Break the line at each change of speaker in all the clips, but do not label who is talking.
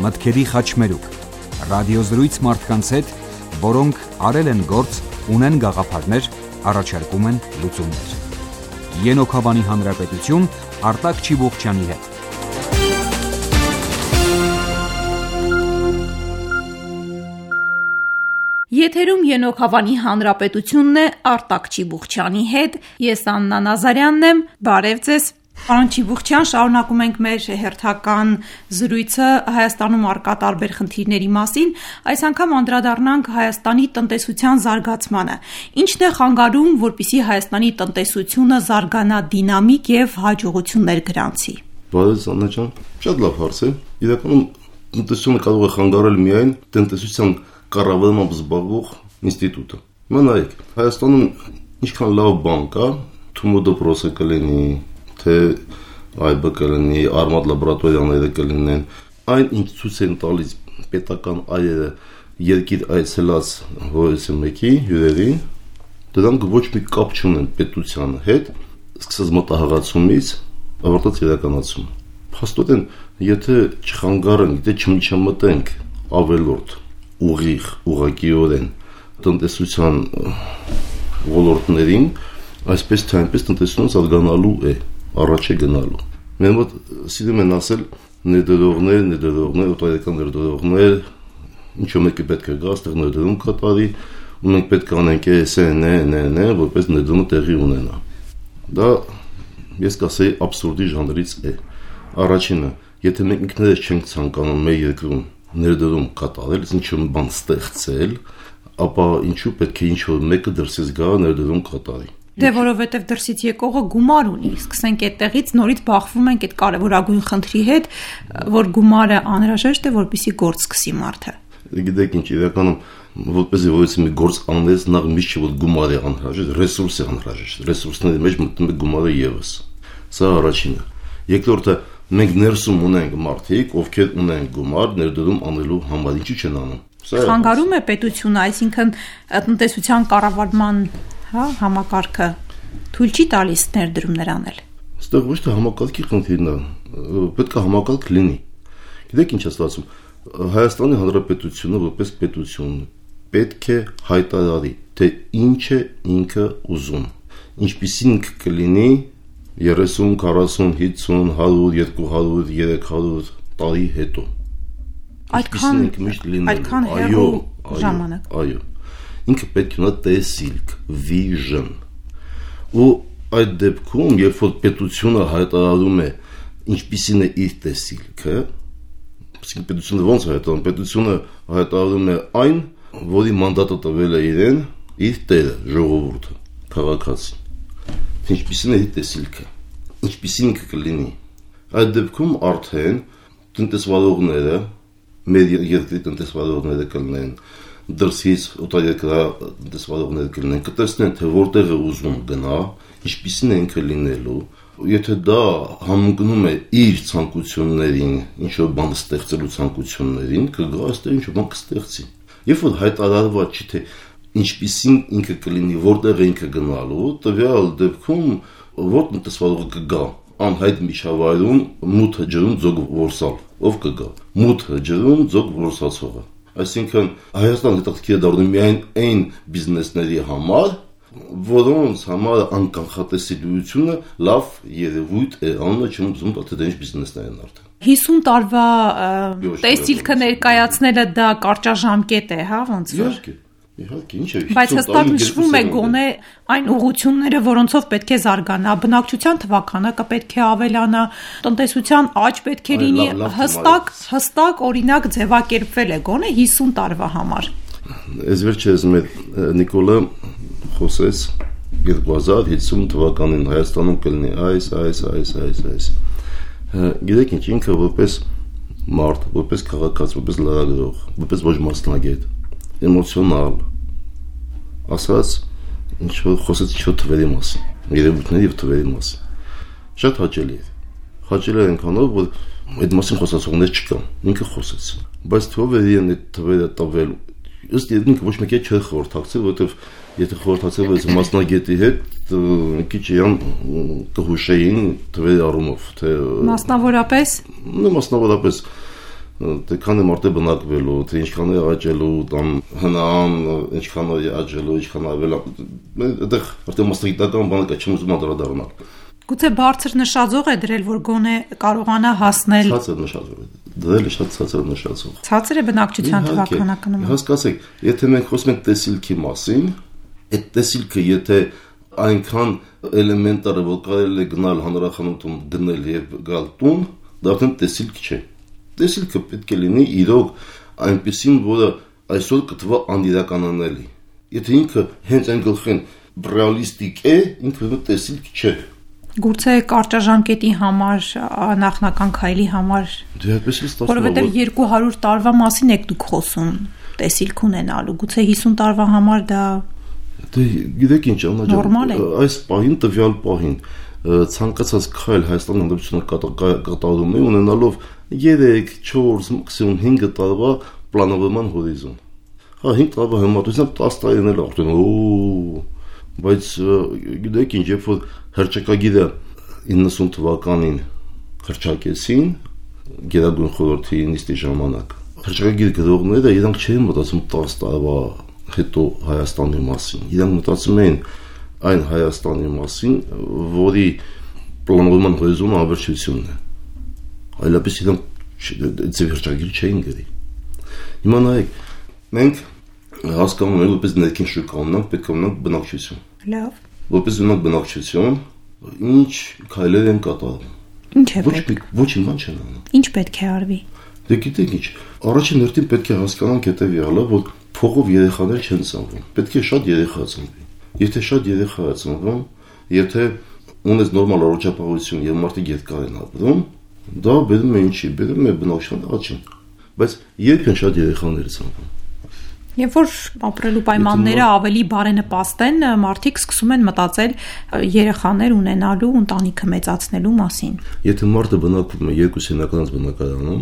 մտքերի խաչմերուկ, ռադիոզրույց մարդկանց հետ, որոնք արել են գործ, ունեն գաղափարներ, առաջարկում են լուծումներ։ Ենոք Հավանի Հանրապետություն, Արտակ Չիբուխչյանի հետ։
Եթերում Ենոք Հավանի Հանրապետությունն է, Արտակ Չիբուխչյանի հետ, ես Աննա Նազարյանն եմ, բարև ձեզ։ Պարոն Չիբուխչյան, շարունակում ենք մեր հերթական զրույցը Հայաստանում առկա տարբեր խնդիրների մասին, այս անգամ անդրադառնանք Հայաստանի տնտեսության զարգացմանը։ Ինչն է խանգարում, որպեսզի Հայաստանի տնտեսությունը զարգանա դինամիկ եւ հաջողություններ գրանցի։
Բարև Աննա ջան, շատ լավ հարց է։ Իրականում տնտեսությունը կարող է խանգարել միայն տնտեսության կառավարմամբ զբաղվող ինստիտուտը։ Հիմա նայեք, Հայաստանում ինչքան լավ բան կա, Թումո դպրոցը կլինի, թե այբ կլինի, Արմադ լաբորատորիաները կլինեն, այն ինչ ցույց են տալիս պետական այրերը երկիր այցելած որևէ մեկի հյուրերի, դրանք ոչ մի կապ չունեն պետության հետ, սկսած մտահղացումից, ավարտած իրականացում։ Փաստորեն, եթե չխանգարենք, եթե չմիջամտենք ավելորդ ուղիղ, ուղղակիորեն տնտեսության ոլորտներին, այսպես թե այնպես տնտեսությունը զարգանալու է, առաջ է գնալու։ Մեր մոտ սիրում են ասել ներդրողներ, օտարերկրյա ներդրողներ, ինչու մեկը պետք է գա, այստեղ ներդրում կատարի, ու մենք պետք է անենք էս, որպես ներդրումը տեղի ունենա։ Դա ես կասեի աբսուրդի ժանրից է։ Առաջինը, եթե մենք ինքներս չենք ցանկանում մեր երկրում ներդրում կատարել, ինչ-որ բան ստեղծել, ապա ինչու պետք է ինչ-որ մեկը դրսից գա ներդրում կատարի։
Դե որովհետև դրսից եկողը գումար ունի, սկսենք այդտեղից, նորից բախվում ենք այդ կարևորագույն խնդրի հետ, որ գումարը անհրաժեշտ է, որպեսզի գործ սկսի մարդը։
Գիտեք ինչ, իրականում որպեսզի որևէ մի գործ անես, նախ միշտ չէ որ գումար է անհրաժեշտ, ռեսուրս է անհրաժեշտ, ռեսուրսների մեջ մտնում է գումարը եւս։ Սա առաջինը։ Երկրորդը, մենք ներսում ունենք մարդիկ, ովքեր ունեն գումար ներդրում անելու համար, ինչու չեն անում։
Խանգարում է պետությունը, այսինքն տնտեսության կառավարման համակարգը թույլ չի տալիս ներդրումներ անել։
Այստեղ ոչ թե համակարգի խնդիրն է, պետք է համակարգ լինի։ Գիտեք ինչ է ստացվում։ Հայաստանի Հանրապետությունը որպես պետություն պետք է հայտարարի, թե ինչ է ինքը ուզում, ինչպիսին կլինի 30, 40, 50, 100, 200, 300 տարի հետո։
Այդքան հեռու ժամանակ։
Այո։ Ինքը պետք է ունենա տեսիլք, vision։ Ու այդ դեպքում, երբ որ պետությունը հայտարարում է ինչպիսին է իր տեսիլքը, իսկ պետությունը ոնց հայտարարում, պետությունը հայտարարում է այն, որի մանդատը տվել է իրեն, իր տերը, ժողովուրդը, քաղաքացին։ Ինչպիսին է իր տեսիլքը, ինչպիսին կլինի։ Այդ դեպքում արդեն տնտեսվարողները, մեր երկրի տնտեսվարողները կլինեն, դրսից օտարերկրյա տնտեսվարողներ կլինեն, կտեսնեն, թե որտեղ է ուզում գնա, ինչպիսին է ինքը լինելու, եթե դա համընկնում է իր ցանկություններին, ինչ-որ բան ստեղծելու ցանկություններին, կգա այստեղ ինչ-որ բան կստեղծի։ Երբ որ հայտարարված չի, թե ինչպիսին ինքը կլինի, որտեղ է ինքը գնալու, տվյալ դեպքում որ տնտեսվարողը կգա անհայտ միջավայրում մութը ջրում ձոգ որսալ, ով կգա մութը ջրում ձոգ որսացողը։ Այսինքն Հայաստանը հետաքրքիր է դառնում միայն այն բիզնեսների համար, որոնց համար անկանխատեսելիությունը լավ երևույթ է, անունը չեմ ուզում տալ, թե դա ինչ բիզնեսներ են արդեն։
50 տարվա տեսիլքը ներկայացնելը դա կարճաժամկետ է, հա, ոնց որ։
Իհարկե, ինչ է։
Բայց հստակ նշվում է գոնե այն ուղղությունները, որոնցով պետք է զարգանա, բնակչության թվականը պետք է ավելանա, տնտեսության աճ պետք է լինի, հստակ օրինակ ձևակերպվել է գոնե 50 տարվա համար։
Այս վերջերս մեր Նիկոլը խոսեց 2050 թվականին Հայաստանում կլինի այս։ Գիտեք ինչ, ինքը որպես մարդ, որպես քաղաքացի, որպես լրագրող, որպես ոչ մասնագետ, էմոցիոնալ, ասած ինչ-որ խոսեց ինչ-որ թվերի մասին, երևույթների և թվերի մասին։ Շատ հաճելի է։ Հաճելի է այնքանով, որ այդ մասին խոսացողներ չկան, ինքը խոսեց։ Բայց թվով է իրեն այդ թվերը տվել, ըստ ինքը ոչ մեկի չէր խորհրդակցել, որովհետև եթե խորհրդակցել ես մասնագետի հետ, քիչ իրան կհուշեին թվերի առումով, թե մասնավորապես Դեքան է մարդը բնակվելու, թե ինչքան է աճելու, կամ հնան, ինչքան է աճելու, ինչքան ավել, այդտեղ արդեն մասնագիտական բանը կա, չեմ ուզում անդրադառնալ։
Գուցե բարձր նշաձող է դրել, որ գոնե կարողանա հասնել։
Ցածր նշաձող է, դրել է շատ ցածր նշաձող։
Ցածր է բնակչության թվականակը։
Հասկացեք, եթե մենք խոսում ենք տեսիլքի մասին, այդ տեսիլքը եթե այնքան էլեմենտար է, որ կարելի է գնալ հանրախանութում դնել եւ գալ տուն, դա արդեն տեսիլք չէ։ Տեսիլքը պետք է լինի իրոք այնպեսին, որը այսօր կթվա անիրականանալի։ Եթե ինքը հենց այն գլխին ռեալիստիկ է, ինքը տեսիլք չէ։
Գուցե կարճաժամկետի համար, նախնական քայլի համար։
Դե այդպես է ստացվում։
Որովհետև 200 տարվա մասին եք դուք խոսում տեսիլք ունենալու։ Գուցե 50 տարվա համար դա
Դե գիտեք ինչ,
նորմալ է։
Այս պահին տվյալ պահին ցանկացած քայլ Հայաստանի Հանրապետությունը կատարում է ունենալով 3, 4, մաքսիմում 5 տարվա պլանավորման հորիզոն։ Հա 5 տարվա համատությամբ 10 տարին էլ արդեն բայց գիտեք ինչ, երբ որ հռչակագիրը 90 թվականին հռչակեցին Գերագույն խորհրդի նիստի ժամանակ, հռչակագիր գրողները իրանք չէին մտածում 10 տարվա հետո Հայաստանի մասին։ Իրանք մտածում էին այն Հայաստանի մասին, որի պլանավորման հորիզոնը ավերջությունն է։ Այլապես իրանք ձեր հռչակագիր չէին գրի։ Հիմա նայեք, մենք հասկանում ենք, որպես ներքին շուկա ունենք, պետք է ունենք բնակչություն։
լավ։
Որպես ունենք բնակչություն, ինչ քայլեր են կատարում։
Ինչ է պետք։
Ոչ իման չեն անում։
Ինչ պետք է արվի։
Դե գիտեք ինչ, առաջին հերթին պետք է հասկանանք հետևյալը, որ փողով երեխաներ չեն ծնվում։ Պետք է շատ երեխա ծնվի։ Եթե շատ երեխա է ծնվում, եթե ունես նորմալ առողջապահություն եւ մարդիկ երկար են ապրում, դա բերում է ինչի, բերում է բնակչության աճին։ Բայց երբ են շատ երեխաներ ծնվում։
Երբ որ ապրելու պայմանները ավելի բարենպաստ են, մարդիկ սկսում են մտածել երեխաներ ունենալու, ընտանիքը մեծացնելու մասին։
Եթե մարդը բնակվում է երկու սենյականից բնակարանում,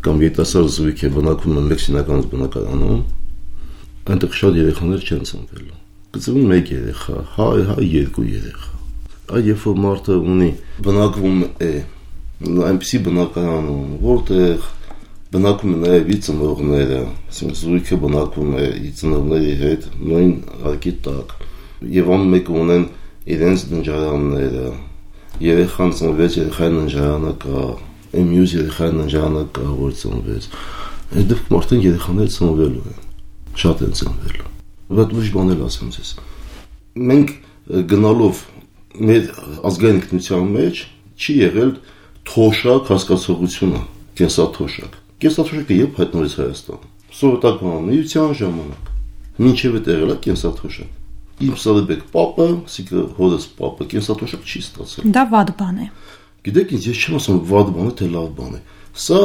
կամ երիտասարդ զույգ է բնակվում է մեկ սենյականից բնակարանում, այնտեղ շատ երեխաներ չեն ծնվելու։ Կծնվում մեկ երեխա, հա, երկու երեխա։ Այդ երբ որ մարդը ունի բնակվում է այնպիսի բնակարանում, որտեղ բնակվում է նաև իր ծնողները, ասենք զույգը բնակվում է իր ծնողների հետ նույն հարկի տակ, եւ ամեն ունեն իրենց ննջարանները, երեխան ծնվեց, երեխային ննջարանը կա, մյուս երեխային ննջարանը կա, որ ծնվեց։ Այդ դեպքում արդեն երեխաները ծնվելու են, շատ են ծնվելու։ Բայց ուրիշ բան էլ ասեմ ձեզ։ Մենք գնալով մեր ազգային ինքնության մեջ չի եղել թոշակ հասկացողությունը, կենսաթոշակ։ Կենսաթոշակը երբ հայտնվեց Հայաստանում։ Սովետական միության ժամանակ։ Մինչև այդ եղել է կենսաթոշակ։ Իմ Սարեբեկ պապը, ասիկա հորս պապը կենսաթոշակ չի ստացել։
Դա վատ բան է։
Գիտեք ինչ, ես չեմ ասում վատ բան է, թե լավ բան է։ Սա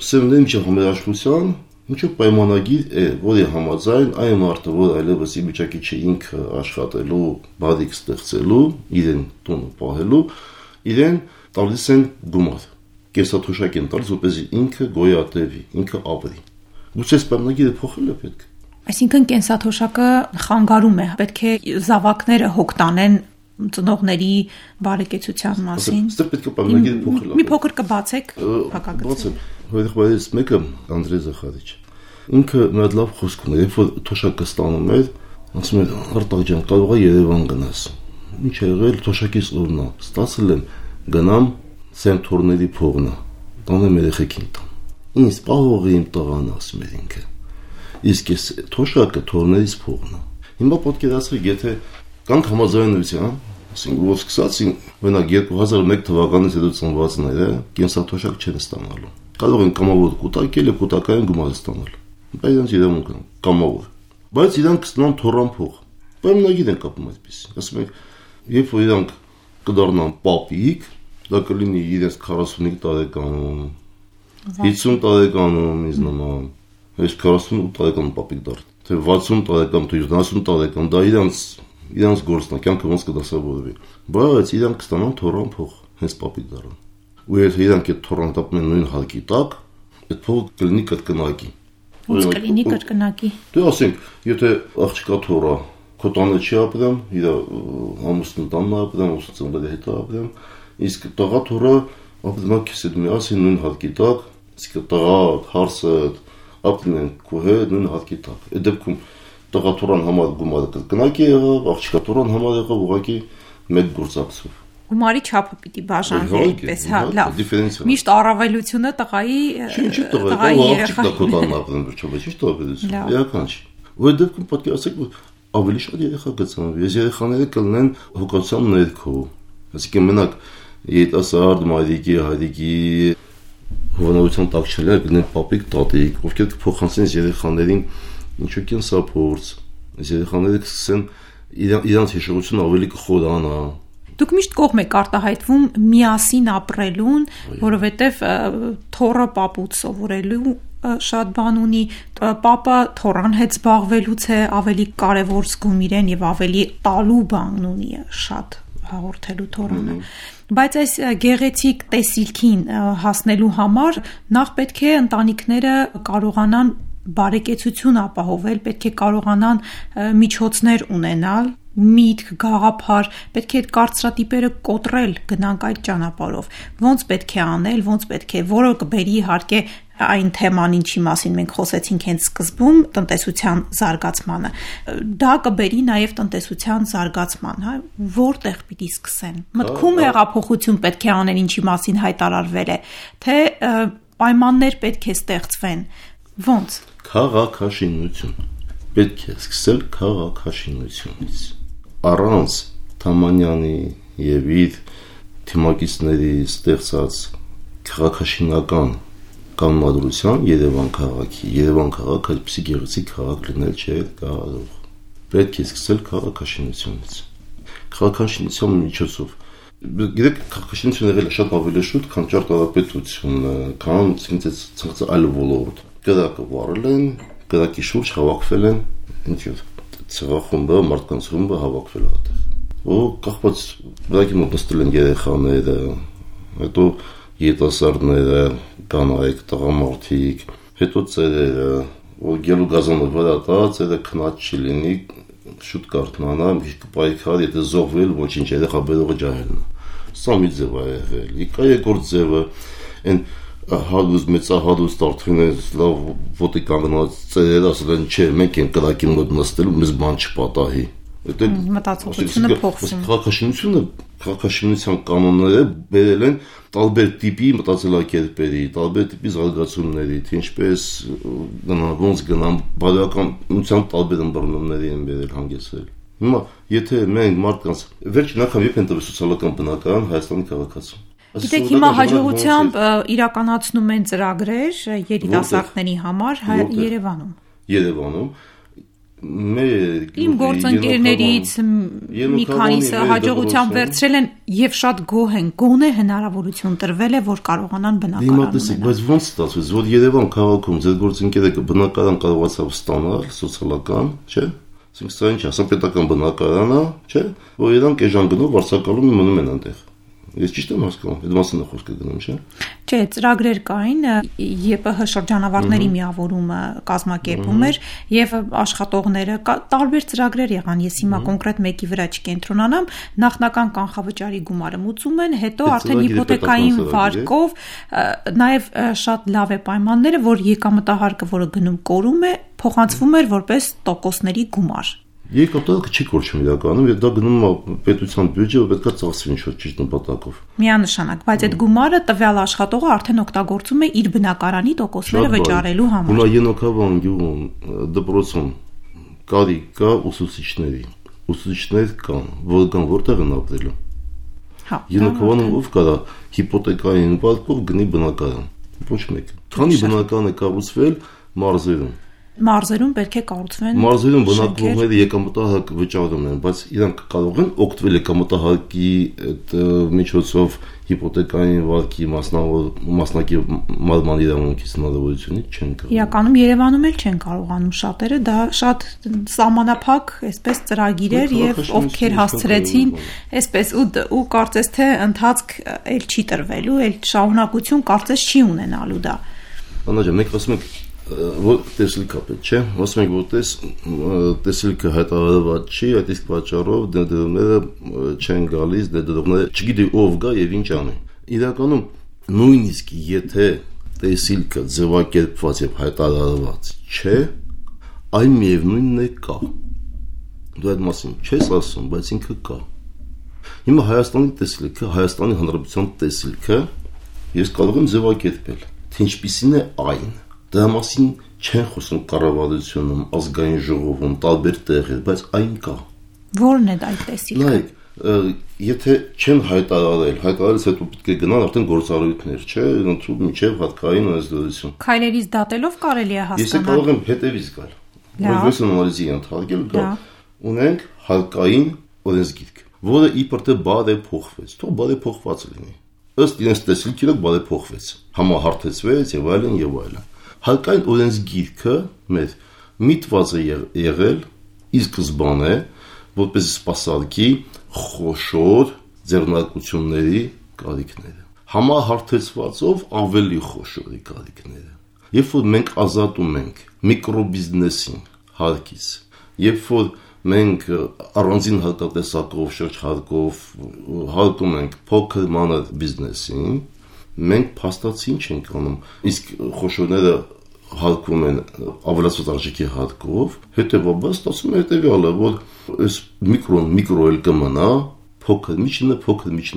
սերնդի միջև համերաշխության ինչու պայմանագիր է, որի համաձայն այն մարդը, որ այլևս ի վիճակի չէ ինքը աշխատելու, բարիք ստեղծելու, իրեն տունը պահելու, իրեն տալիս են գումար։ Կենսաթոշակ են տալիս, որպեսզի ինքը գոյատևի, ինքը ապրի։ Գուցե այս պայմանագիրը փոխել է պետք։
Այսինքն կենսաթոշակը խանգարում է, պետք է զավակները հոգ տանեն ծնողների բարեկեցության մասին։
Այստեղ պետք է պայմանագիրը փոխել։
Մի փոքր կբացեք հակագծը։
Բացեմ, հորեղբայրից մեկը Անդրեյ Զախարիչ։ Ինքը մի հատ լավ խոսք ուներ, երբ որ թոշակը ստանում էր, ասում էր Արտակ ջան, կարող է Երևան գնաս։ Ինչ է եղել թոշակից օրնա։ Ստացել եմ գնամ Սենթորների փողնա, տանեմ երեխեքին տան։ Ինձ պահողի իմ տղան ասում էր ինքը։ Իսկ այս թոշակը թորներից փողնա։ Հիմա պատկերացրեք, եթե կանք համաձայնության, ասենք որ սկսածին մենակ 2001 թվականից հետո ծնվածները կենսաթոշակ չեն ստանալու։ Կարող են կամավոր կուտակել եւ կուտակային գումար ստանալ։ Բայց իրենց իրավունք կան, կամավոր։ Բայց իրանք կստանան թորան փող։ Պայմանագիր են կապում այդպես։ Ասում ենք, երբ որ իրանք կդառնան պապիկ, դա կլինի իրենց 45 տարեկանում, 50 տարեկանում ինձ նման, այս 48 տարեկան պապիկ դառնա, թե 60 տարեկան, թե 70 տարեկան, դա իրանց գործն է, կյանքը ոնց կդասավորվի։ Բայց իրանք կստանան թորան փող, հենց պապիկ դառնան։ Ու եթե իրանք այդ թորան տապում են նույն հարկի տակ, այդ փողը կլինի կրկնակի։
Ոնց կլինի կրկնակի։
Դե ասենք, եթե աղջկա թորա քո տանը չի ապրեմ, իր ամուսնու տանն ապրեմ, ուսուցումների հետ ապրեմ, իսկ տղա թորը ապրում է քեզ հետ միասին նույն հարկի տակ, Իսկ տղա, հարսը, ապնեն քո հետ նույն հատկի տակ։ Այդ դեպքում տղա թորան համար գումարը կնակի եղավ, աղջիկա թորան համար եղավ ուղղակի մեկ գործակցով։
Գումարի չափը պիտի բաժանվի այդպես, հա, լավ։ Միշտ առավելությունը տղայի
աղջիկա կոտանն ապրեն վերջապես, ի՞նչ տարբերություն։ Էական չի։ Ու այդ դեպքում պետք է ասեք, որ ավելի շատ երեխա կծնվի, այս երեխաները կլինեն հոգացության ներքո։ Այսինքն մենակ երիտասարդ մայրիկի, հայրիկի հովանավորության տակ չլինեն, կլինեն պապիկ, տատիկ, ովքեր կփոխանցեն երեխաներին ինչու կենսափորձ, այս երեխաները կսկսեն իրանց հիշողությունը ավելի կխորանա։
Դուք միշտ կողմ եք արտահայտվում միասին ապրելուն, որովհետև թոռը պապուց սովորելու շատ բան ունի, պապը թոռան հետ զբաղվելուց է ավելի կարևոր զգում իրեն եւ ավելի տալու բան ունի շատ հաղորդելու թոռանը։ Բայց այս գեղեցիկ տեսիլքին հասնելու համար նախ պետք է ընտանիքները կարողանան բարեկեցություն ապահովել, պետք է կարողանան միջոցներ ունենալ, միտք, գաղափար, պետք է այդ կարծրատիպերը կոտրել, գնանք այդ ճանապարհով։ Ոնց պետք է անել, ոնց պետք է, որը կբերի իհարկե այն թեման, ինչի մասին մենք խոսեցինք հենց սկզբում, տնտեսության զարգացմանը։ Դա կբերի նաև տնտեսության զարգացման, հա, որտեղ պիտի սկսեն։ Մտքում հեղափոխություն պետք է անել, ինչի մասին հայտարարվել է, թե պայմաններ պետք է ստեղծվեն։ Ոնց։
Քաղաքաշինություն։ Պետք է սկսել քաղաքաշինությունից։ Առանց Թամանյանի եւ իր թիմակիցների ստեղծած քաղաքաշինական կանոնադրության Երևան քաղաքի այդպիսի գեղեցիկ քաղաք լինել չէ կարող։ Պետք է սկսել քաղաքաշինությունից։ Քաղաքաշինության միջոցով գիտեք քաղաքաշինությունը եղել է շատ ավելի շուտ, քան ճարտարապետությունը, քան ցնցած այլ ոլորտ։ Կրակը վարել են, կրակի շուրջ հավաքվել են, ինչու՞ ցեղախումբը, մարդկանց խումբը հավաքվել է այդտեղ։ Ու կախված բնակի մոտ նստել են երեխաները, հետո երիտասարդները, կանայք, տղամարդիկ, հետո ծերերը, որ գելու գազանը վրա տա, ծերը քնած չի լինի, շուտ կարթնանա, կպայքար, եթե զոհվել, ոչինչ, երեխա բերողը ջահելն է։ Սա մի ձև է եղել։ Իկա երկրորդ ձևը, այն հալուզ մեծահալուզ տարթիներ լավ ոտի կանգնած ծերերը ասել են չէ մենք են կրակի մոտ նստելու մեզ բան չպատահի
մտածողությունը փոխվում
քաղաքաշինության կանոնները բերել են տարբեր տիպի մտածելակերպերի տարբեր տիպի զարգացումների թե ինչպես ոնց գնան բարոյականության տարբեր ըմբռնումների են բերել հանգեցրել հիմա եթե մենք մարդկանց վերջին անգամ երբ են տվել սոցիալական բնակարան Հայաստանի քաղաքացու
Գիտեք, հիմա հաջողությամբ իրականացնում են ծրագրեր երիտասարդների համար
Երևանում
Իմ գործընկերներից մի քանիսը հաջողությամբ վերցրել են եւ շատ գոհ են, գոնե հնարավորություն տրվել է, որ կարողանան բնակարան ունենալ։
Բայց ոնց ստացվեց, որ Երևան քաղաքում ձեր գործընկերը բնակարան կարողացավ ստանալ սոցիալական, չէ՞։ Այսինքն սա ինչ ասա պետական բնակարան է, չէ՞, որ իրանք էժան գնով վարձակալում մնում են այնտեղ։ Ես ճիշտ եմ հասկանում, այդ մասն է խոսքը գնում, չէ՞։
Չէ, ծրագրեր կային, ԵՊՀ շրջանավարտների միավորումը կազմակերպում էր եւ աշխատողները տարբեր ծրագրեր եղան։ Ես հիմա կոնկրետ մեկի վրա չկենտրոնանամ, նախնական կանխավճարի գումարը մուծում են, հետո արդեն հիփոթեկային վարկով նաեւ շատ լավ է պայմանները, որ եկամտահարկը, որը գնում կորում է, փոխանցվում էր որպես տոկոսների գումար։
Եկամտահարկը չի կորչում իրականում, եւ դա գնում է պետության բյուջեը, պետք է ծախսվի ինչ-որ ճիշտ նպատակով։
Միանշանակ, բայց այդ գումարը տվյալ աշխատողը արդեն օգտագործում է իր բնակարանի տոկոսները վճարելու համար։
Հիմա Ենոքավան գյուղում դպրոցում կարիք կա ուսուցիչների։ Ուսուցիչներ կան, որտեղ են ապրելու։
Հա։
Ենոքավանում ով կարա հիփոթեկային վարկով գնի բնակարան։ Ոչ մեկ։ Քանի բնակարան է կառուցվել մարզերում։
Մարզերում պետք է կառուցվեն։
Մարզերում բնակվողները եկամտահարկ վճարում են, բայց իրանք կարող են օգտվել եկամտահարկի այդ միջոցով հիփոթեկային վարկի մասնակի մարման իրավունքից հնարավորությունից չեն կարող։
Իրականում Երևանում էլ չեն կարողանում շատերը, դա շատ սահմանափակ, այսպես ծրագիր էր եւ ովքեր հասցրեցին, այսպես ու կարծես թե ընթացք էլ չի տրվելու, էլ շարունակություն կարծես չի ունենալու դա։
Անաջա, մենք ասում ենք որ տեսիլքա պետք չէ, ասում ենք որ տեսիլքը հայտարարված չի, այդ իսկ պատճառով դերդերները չեն գալիս, դերդերները չգիտի ով գա եւ ինչ անի։ Իրականում նույնիսկ եթե տեսիլքը ձևակերպված եւ հայտարարված չէ, այն միևնույնն է կա։ Դու այդ մասին չես ասում, բայց ինքը կա։ Հիմա Հայաստանի տեսիլքը, Հայաստանի Հանրապետության տեսիլքը ես կարող եմ ձևակերպել, թե ինչպիսին է այն։ Դրա մասին չեն խոսում կառավարությունում, ազգային ժողովում, տարբեր տեղեր, բայց այն կա։
Որն է այդ տեսիլքը։
Նայեք, եթե չեն հայտարարելուց հետո պետք է գնան արդեն գործառույթներ, չէ, ընդհանուր միջև հատկային օրենսդրություն։
Քայլերից դատելով կարելի է հասկանալ։
Ես կարող եմ հետևից գալ։ Որպես անալիզի ընդհանրել գալ։ Ունենք հարկային օրենսգիրք, որը իբր թե բարեփոխվեց, թող բարեփոխված լինի։ Ըստ իրենց տեսիլքի բարեփոխվեց, համահարթեցվեց եւ այլն եւ այլն։ Հարկային օրենսգիրքը մեր միտված է եղել ի սկզբանե որպես սպասարկի խոշոր ձեռնարկությունների կարիքները, համահարթեցվածով ավելի խոշորի կարիքները։ Երբ որ մենք ազատում ենք միկրոբիզնեսին հարկից, երբ որ մենք առանձին հարկատեսակով, շրջհարկով հարկում ենք փոքր մանր բիզնեսին, մենք փաստացի չենք անում, իսկ խոշորները հարկում են ավելացված արժեքի հարկով, հետևաբար ստացվում է հետևյալը, որ այս միկրոն էլ կմնա, փոքր միջինը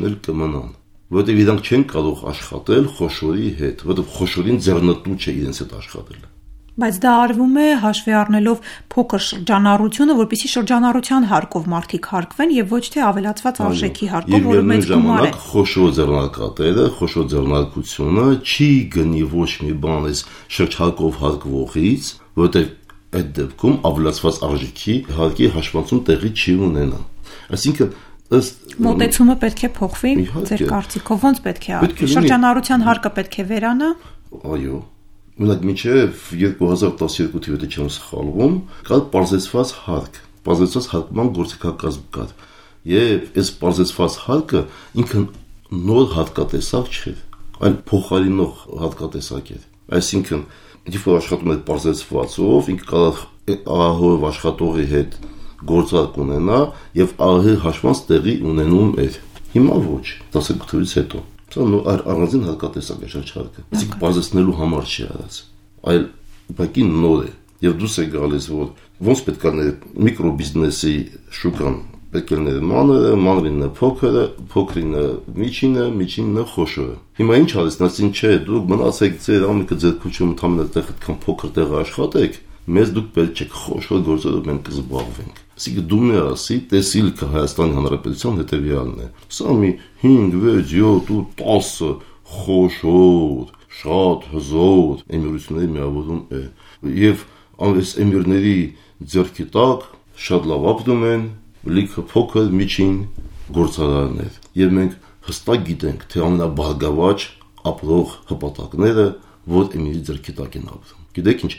էլ կմնան, որովհետև իրանք չեն կարող աշխատել խոշորի հետ, որովհետև խոշորին ձեռնտու չէ իրենց հետ աշխատել։
Բայց դա արվում է հաշվի առնելով փոքր շրջանառությունը, որպեսզի շրջանառության հարկով մարդիկ հարկվեն եւ ոչ թե ավելացված արժեքի հարկով, որը մեծ գումար է։
Խոշոր ձեռնարկատերը, խոշոր ձեռնարկությունը չի գնի ոչ մի բան այս շրջհարկով հարկվողից, որովհետեւ այդ դեպքում ավելացված արժեքի հարկի հաշվառություն տեղի չի ունենա։ Այսինքն ըստ
մոտեցումը պետք է փոխվի, ձեր կարծիքով ոնց պետք է արվի։ Շրջանառության հարկը պետք է վերանա։
Այո։ Մենակ մինչև 2012 թվականի չեմ սխալվում, կար պարզեցված հարկ, պարզեցված հարկման գործիքակազմ կար։ Եվ այս պարզեցված հարկը ինքը նոր հարկատեսակ չէր, այլ փոխարինող հարկատեսակ էր։ Այսինքն, երբ որ աշխատում էր պարզեցվածով, ինքը կարող ահահով աշխատողի հետ գործարք ունենա եւ ահահի հաշվանց տեղի ունենում էր։ Հիմա ոչ, 12 թվականից հետո առանձին հարկատեսակ է շրջհարկը։ Իսկ բազեցնելու համար չի արած, այլ ուղղակի նոր է։ Եվ դուս է գալիս, որ ոնց պետք է միկրոբիզնեսի շուկան պետք է լինի մանրինը փոքրը, փոքրինը միջինը, միջինը խոշորը։ Հիմա ինչ արես, նասին չէ, դուք մնացեք ձեր ամենքը ձեր քուչում ընդհանրապես այդքան փոքր տեղ աշխատեք, մեզ դուք պետք է խոշոր գործերով մենք կզբաղվենք։ Այսինքն դու մի ասի, տեսիլքը Հայաստանի Հանրապետության հետևյալն է։ Սա մի 5, 6, 7 ու 10 խոշոր, շատ հզոր էմիրությունների միավորում է։ Եվ այս էմիրների ձեռքի տակ շատ լավ ապրում են լիքը փոքր միջին գործարաններ։ Եվ մենք հստակ գիտենք, թե ամենաբարգավաճ ապրող հպատակները որ էմիրի ձեռքի տակ են ապրում։ Գիտեք ինչ,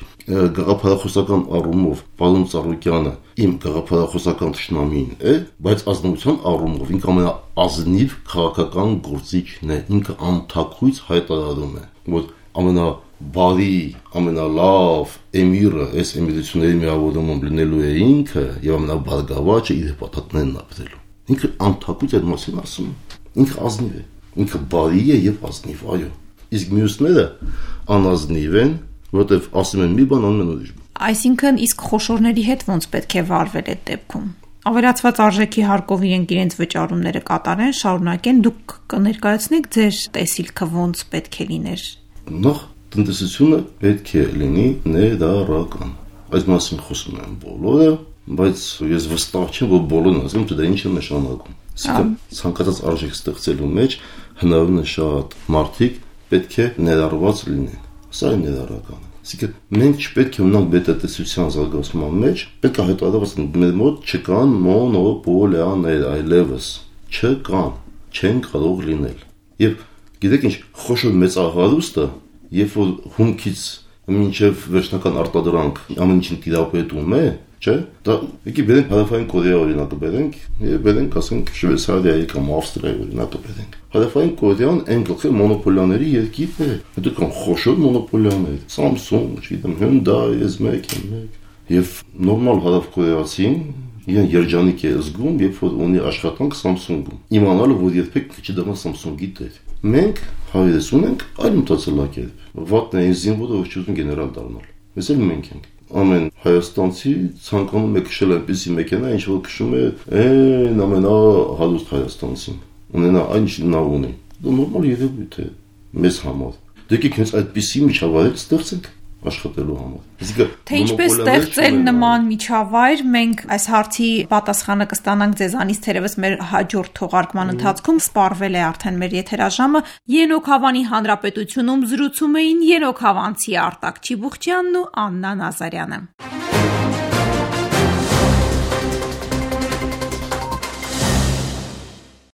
գաղափարախոսական առումով պարոն Ծառուկյանը իմ գաղափարախոսական թշնամին է, բայց ազնվության առումով ինքը ամենաազնիվ քաղաքական գործիչն է, ինքը անթաքույց հայտարարում է, որ ամենաբարի, ամենալավ էմիրը այս էմիրությունների միավորումում լինելու է ինքը եւ ամենաբարգավաճը իր հպատակներն ապրելու։ Ինքը անթաքույց այդ մասին ասում է, ինքը ազնիվ է, ինքը բարի է եւ ազնիվ, այո։ Իսկ մյուսները անազնիվ են, որովհետև ասում են մի բան, անում են ուրիշ բան։
Այսինքն իսկ խոշորների հետ ոնց պետք է վարվել այդ դեպքում։ Ավելացված արժեքի հարկով իրենց վճարումները կատարեն, շարունակեն, դուք կներկայացնեք ձեր տեսիլքը ոնց պետք է լիներ։
Նախ տնտեսությունը պետք է լինի ներառական։ Այս մասին խոսում են բոլորը, բայց ես վստահ չեմ, որ բոլորն ասում թե դա ինչ է նշանակում։ Ցանկացած արժեք ստեղծելու մեջ հնարավորին է շատ մարդիկ պետք է ներառված լինեն։ Սա է ներառականը։ Այսինքն մենք չպետք է ունենանք բետատեսության զարգացման մեջ, պետք է հետադարձ մեր մոտ չկան մոնոպոլիաներ, այլևս չկան, չեն կարող լինել։ Եվ գիտեք ինչ, խոշոր մեծահարուստը, երբ որ հումքից մինչև վերջնական արտադրանք ամեն ինչին տիրապետում է, չէ՞, դա եկի բերենք Հարավային Կորեա օրինակը բերենք, եւ բերենք ասենք Շվեյցարիայի կամ Ավստրիայի օրինակը բերենք։ Հարավային Կորեան այն գլխի մոնոպոլիաների երկիրն է, հետո կան խոշոր մոնոպոլիաներ, Samsung, չգիտեմ, Hyundai, S1, եւ նորմալ հարավկորեացին իրեն երջանիկ է զգում, երբ որ ունի աշխատանք Samsung-ում։ Իմանալը, որ երբեք չի դառնա Samsung-ի տեր։ Մենք հայերս ունենք այլ մտածելակերպ։ Վատն է այն զինվորը, որ չուզում գեներալ դառնալ։ Mēs էլ մենք ենք։ Ամեն հայաստանցի ցանկանում է քշել այնպիսի մեքենա, ինչ որ քշում է այն ամենահարուստ հայաստանցին։ Ունենա այն ինչ նա ունի։ Դա նորմալ երևույթ է մեզ համար։ Դեկեք հենց այդպիսի միջավայր ստեղծենք աշխատելու համար։
Թե ինչպես ստեղծել նման միջավայր, մենք այս հարցի պատասխանը կստանանք ձեզանից թերևս մեր հաջորդ թողարկման ընթացքում։ Սպառվել է արդեն մեր եթերաժամը։ Ենոք Հավանի Հանրապետությունում զրուցում էին ենոքավանցի Արտակ Չիբուխչյանն ու Աննա Նազարյանը։